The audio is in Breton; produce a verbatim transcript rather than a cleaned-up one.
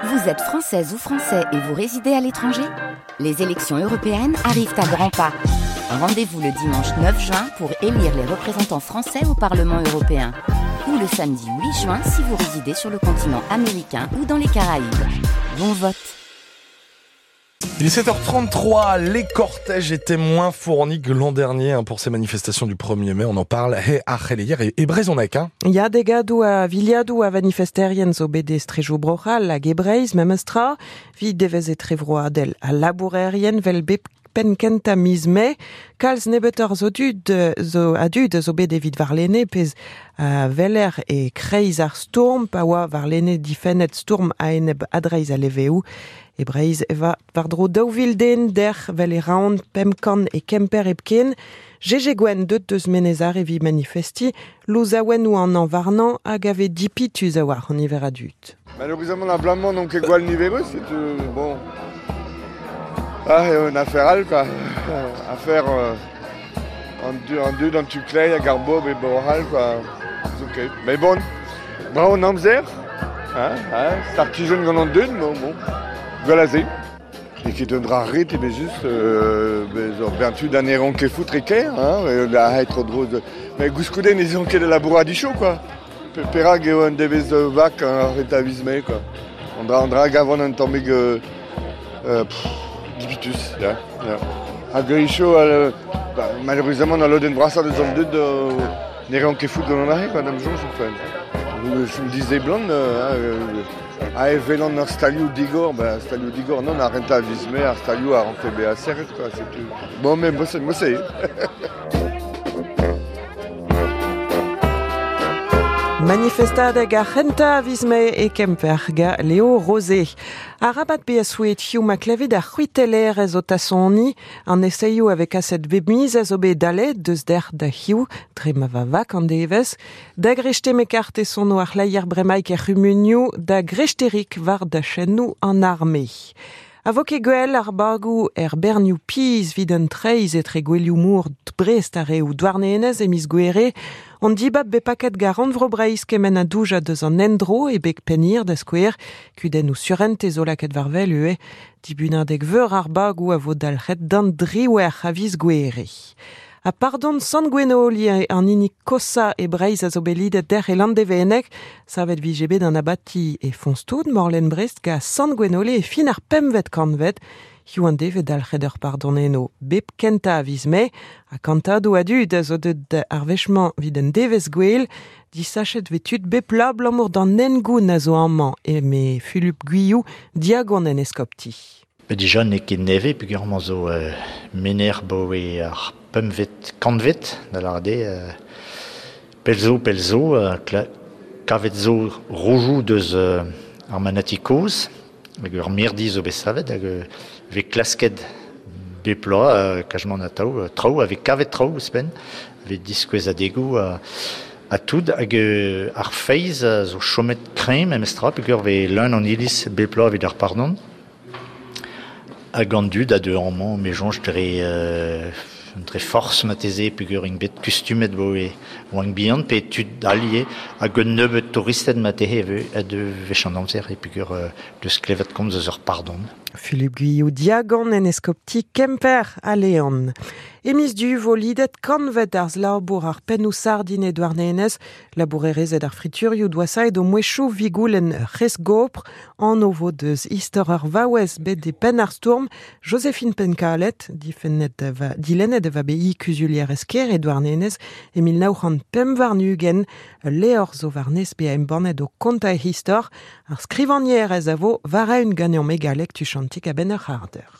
Vous êtes française ou français et vous résidez à l'étranger? Les élections européennes arrivent à grands pas. Rendez-vous le dimanche neuf juin pour élire les représentants français au Parlement européen. Ou le samedi huit juin si vous résidez sur le continent américain ou dans les Caraïbes. Bon vote. Il est sept heures trente-trois, les cortèges étaient moins fournis que l'an dernier hein, pour ces manifestations du premier mai. On en parle he ar c'heleier e, e brezhoneg. Hein. Ya degadoù a viliadoù a vanifesterien zo bet e strejoù Bro-C'hall hag e Breizh memestra, 'vit devezh etrevroadel a labourerien 'vel bep penn kentañ miz Mae, kalz nebeutoc'h zo dud zo a dud zo bet evit warlene pezh a weler e kreiz ar stourm pa oa warlene difennet stourm a-enep adreizh a leveoù. E Breizh e va war-dro daou vil den dec'h 'vel e Roazhon pemp kant e Kemper hepken. Gégé Gwenn deut deus Menez Are evit manifesti, louzaouennoù an an warnañ hag a vez dipituz a war an niver a dud. Malheureusement, la blamant donc gwall niverus, c'est euh, bon. Ah, et une affaire all, quoi. Affaire euh, en deux, en deux dans Tuclay, à Garbob et Boral, quoi. C'est ok. Mais bon, bravo Namzer, hein, hein, c'est artisan gant an deux, bon, bon. Voilà, c'est. Et qui donnera rit, mais juste, euh, ben, tu d'un héron qui foutre et hein, et là, être trop drôle. Mais Gouskouden, ils ont de la bourradicho, quoi. Perag eo un devez vak un retavisme, quoi. On dra, on dra gavon un tammig, euh, euh, pff, dipitus, ya, ya. Hag icho, euh, bah, malheureusement, dans l'oden brassa de zon deud, euh, n'ereont ket fout gant an arre, quoi, da'm soñj, enfin. Je me disais blonde, euh, hein, euh, a evelan ur stalioù digor, ben, stalioù digor, non, a renta vizme, ar stalioù a rentre be a serret, quoi, c'est tout. Bon, mais moi, c'est, moi, c'est. Manifestadeg ar c'hentañ a viz Mae e Kemper ga Léo Rosé. Arabat be souet hiziv ma klevet ar c'hwitellerez o tasoni, an eseioù a vez kaset bep miz a zo bet dalet deus der da hiziv, dre ma va vak an devezh, da grechte me kart e sono ar c'hleier bremaik er c'humunioù, da grechterik war da chennoù an arme. A vo ket gwell ar bagoù er bernioù piz 'vit an treizh etre gwelioù mor Brest ar reoù Douarnenez e miz Gouere, on dibab bet paket gar rannvro Breizh kement a douja deus an endro e beg pennhir da skouer, kudennoù surentez zo lakaet war wel ivez, dibunadeg veur ar bagoù a vo dalc'het d'an driwec'h a viz Gouere. A pardon Sant Gwenoli an hini kosañ e Breizh a zo bet lidet dec'h e Landevenneg, savet vije bet an abati e Foñstoud, Morlen Brest ga Sant Gwenole e fin ar pempvet kantved, hiziv an devez dalc'het ur pardon eno bep kentañ a viz Mae, ha kantadoù a dud a zo deut ar wech-mañ 'vit un devezh gwell, disachet 'vez tud bep bloaz abalamour d'an hengoun a zo amañ, eme Fulup Guillou, diagon en eskopti. Bet dija n'eo ket nevez peogwir zo euh, mener 'baoe ar pempvet kantved, da lâret eo, euh, pell zo, pell zo, euh, kla-, kavet zo roudoù deus euh, ar manati kozh, hag ur mirdi zo bet savet, hag euh, vez klasket bep bloaz, euh, kajement atav, euh, traoù, a vez kavet traoù ouzhpenn, vez diskouezadegoù euh, a tout, hag euh, ar feiz a zo chomet kreñv memestra, peogwir vez leun an iliz bep bloaz evit ar pardon. Hag an dud a deu amañ, me soñj dre, euh, dre forz marteze peogwir int bet kustumet 'baoe oant bihan, pe tud all ivez, hag un nebeud touristed marteze e vez a deu wech an amzer e peogwir, euh, deus klevet komz eus ur pardon. Philippe Guillou, diagon en eskopti Kemper a Leon. E miz Du vo lidet kantved ar labour ar pennoù sardin e Douarnenez, labourerezed ar friturioù doa saet o mouezhioù vigoulenn c'hez gopr, an o vo deus istor ar vaouez bet e penn ar stourm, Joséphine Penkalet, difennet va, dilennet va bet i kuzulier esker e Douarnenez, e mil nav c'hant pemp warn-ugent, levr zo warnez be a embannet o kontañ e istor, ar skrivagnerez a vo war eeun ganeomp e galleg tuchantik a-benn ur c'hard eur.